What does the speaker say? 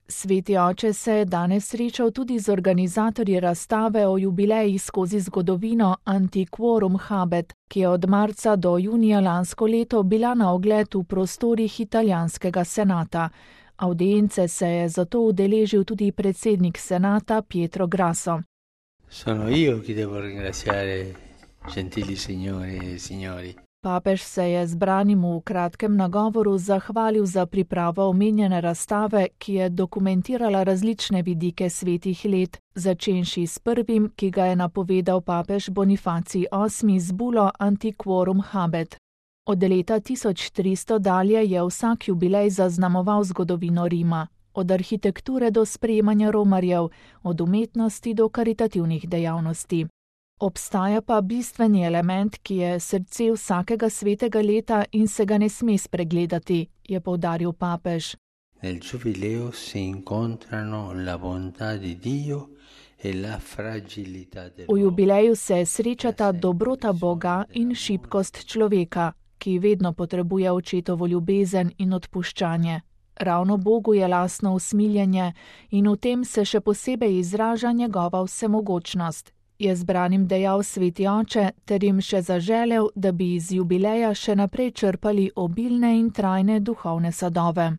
Sveti oče se je danes srečal tudi z organizatorji razstave o jubileji skozi zgodovino Antiquorum Habet, ki je od marca do junija lansko leto bila na ogled v prostorih italijanskega senata. Avdience se je zato udeležil tudi predsednik senata Pietro Grasso. Sono io chi devo ringraziare, gentili signore e signori. Papež se je zbranim v kratkem nagovoru zahvalil za pripravo omenjene razstave, ki je dokumentirala različne vidike svetih let, začenši s prvim, ki ga je napovedal papež Bonifacij VIII z bulo Antiquorum Habet. Od leta 1300 dalje je vsak jubilej zaznamoval zgodovino Rima, od arhitekture do sprejemanja romarjev, od umetnosti do karitativnih dejavnosti. Obstaja pa bistveni element, ki je srce vsakega svetega leta in se ga ne sme spregledati, je poudaril papež. Nel giubileo si incontrano la bontà di Dio e la fragilità dell'uomo. V jubileju se srečata dobrota Boga in šibkost človeka, ki vedno potrebuje očetovo ljubezen in odpuščanje. Ravno Bogu je lastno usmiljenje in v tem se še posebej izraža njegova vsemogočnost, je zbranim dejal sveti oče ter jim še zaželel, da bi iz jubileja še naprej črpali obilne in trajne duhovne sadove.